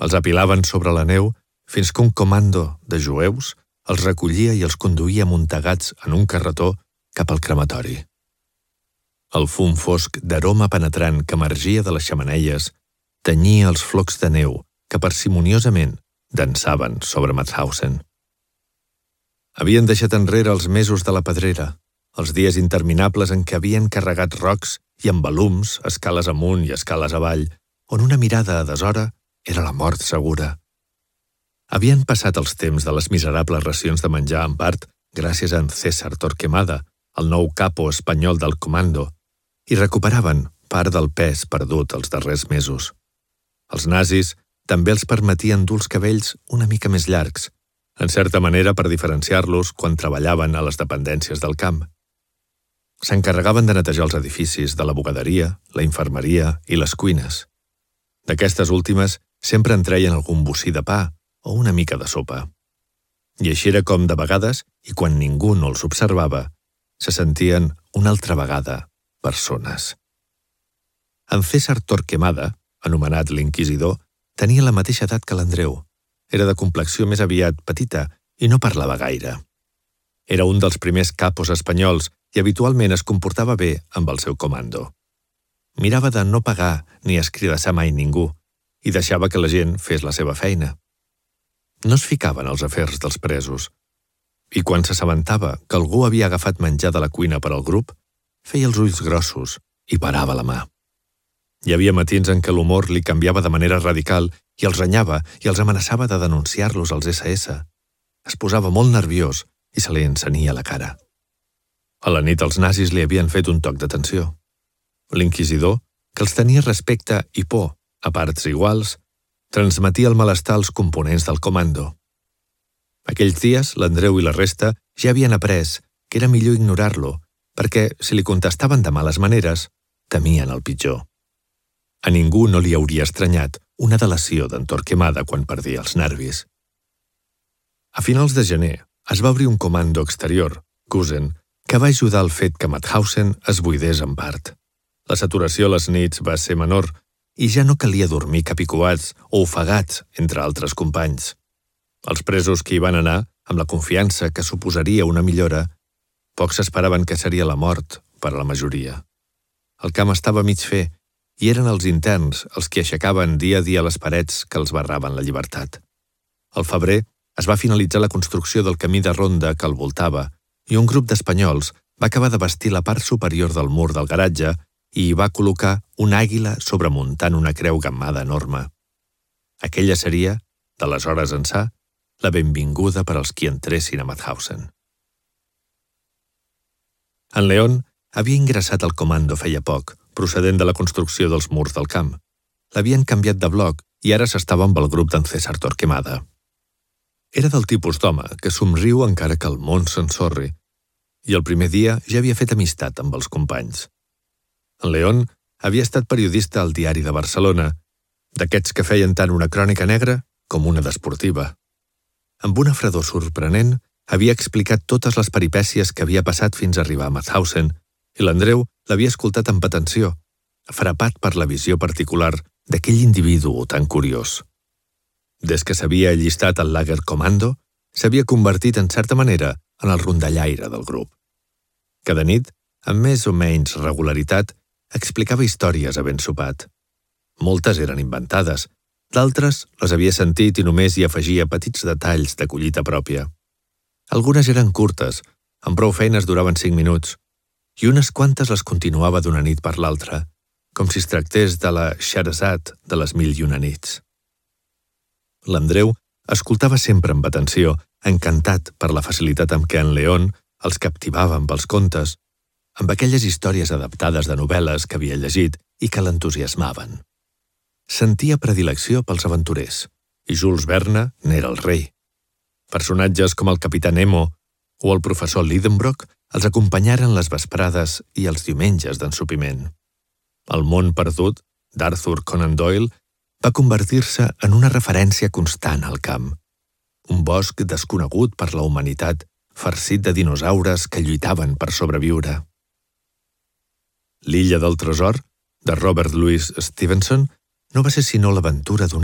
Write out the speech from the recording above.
Els apilaven sobre la neu fins que un comando de jueus els recollia i els conduïa amuntegats en un carretó cap al crematori. El fum fosc d'aroma penetrant que emergia de les xemeneies tenyia els flocs de neu que parsimoniosament dansaven sobre Mauthausen. Havien deixat enrere els mesos de la pedrera, els dies interminables en què havien carregat rocs i embalums, escales amunt i escales avall, on una mirada a deshora era la mort segura. Havien passat els temps de les miserables racions de menjar en part gràcies a en César Torquemada, el nou capo espanyol del comando, i recuperaven part del pes perdut els darrers mesos. Els nazis també els permetien dur els cabells una mica més llargs, en certa manera per diferenciar-los quan treballaven a les dependències del camp. S'encarregaven de netejar els edificis de la bugaderia, la infermeria i les cuines. D'aquestes últimes sempre en treien algun bocí de pa o una mica de sopa. I així era com, de vegades, i quan ningú no els observava, se sentien una altra vegada persones. En César Torquemada, anomenat l'Inquisidor, tenia la mateixa edat que l'Andreu. Era de complexió més aviat petita i no parlava gaire. Era un dels primers capos espanyols i habitualment es comportava bé amb el seu comando. Mirava de no pagar ni escridassar mai ningú i deixava que la gent fes la seva feina. No es ficava en els afers dels presos i quan s'assabentava que algú havia agafat menjar de la cuina per al grup, feia els ulls grossos i parava la mà. Hi havia matins en què l'humor li canviava de manera radical i els renyava i els amenaçava de denunciar-los als SS. Es posava molt nerviós i se li encenia la cara. A la nit els nazis li havien fet un toc d'atenció. L'inquisidor, que els tenia respecte i por a parts iguals, transmetia el malestar als components del comando. Aquells dies, l'Andreu i la resta ja havien après que era millor ignorar-lo, perquè, si li contestaven de males maneres, temien el pitjor. A ningú no li hauria estranyat una delació d'en Torquemada quan perdia els nervis. A finals de gener es va obrir un comando exterior, Gusen, que va ajudar al fet que Mauthausen es buidés en part. La saturació a les nits va ser menor i ja no calia dormir capicuats o ofegats entre altres companys. Els presos que hi van anar, amb la confiança que suposaria una millora, pocs esperaven que seria la mort per a la majoria. El camp estava mig fer i eren els interns els que aixecaven dia a dia les parets que els barraven la llibertat. Al febrer es va finalitzar la construcció del camí de ronda que el voltava i un grup d'espanyols va acabar de bastir la part superior del mur del garatge i hi va col·locar una àguila sobremuntant una creu gammada enorme. Aquella seria, d'aleshores ençà, la benvinguda per als qui entressin a Mauthausen. En León havia ingressat al comando feia poc, procedent de la construcció dels murs del camp. L'havien canviat de bloc i ara s'estava amb el grup d'en César Torquemada. Era del tipus d'home que somriu encara que el món s'ensorri, i el primer dia ja havia fet amistat amb els companys. En León havia estat periodista al Diari de Barcelona, d'aquests que feien tant una crònica negra com una d'esportiva. Amb una fredor sorprenent, havia explicat totes les peripècies que havia passat fins a arribar a Mauthausen i l'Andreu l'havia escoltat amb atenció, frapat per la visió particular d'aquell individu tan curiós. Des que s'havia allistat al Lagerkommando, s'havia convertit en certa manera en el rondallaire del grup. Cada nit, amb més o menys regularitat, explicava històries havent sopat. Moltes eren inventades, d'altres les havia sentit i només hi afegia petits detalls de collita pròpia. Algunes eren curtes, amb prou feines duraven 5 minuts, i unes quantes les continuava d'una nit per l'altra, com si es tractés de la Scheherazade de les 1001 nits. L'Andreu escoltava sempre amb atenció, encantat per la facilitat amb què en León els captivava amb els contes, amb aquelles històries adaptades de novel·les que havia llegit i que l'entusiasmaven. Sentia predilecció pels aventurers, i Jules Verne n'era el rei. Personatges com el capità Nemo o el professor Lidenbrock els acompanyaren les vesprades i els diumenges d'ensopiment. El món perdut, d'Arthur Conan Doyle, va convertir-se en una referència constant al camp. Un bosc desconegut per la humanitat, farcit de dinosaures que lluitaven per sobreviure. L'illa del tresor, de Robert Louis Stevenson, no va ser sinó l'aventura d'un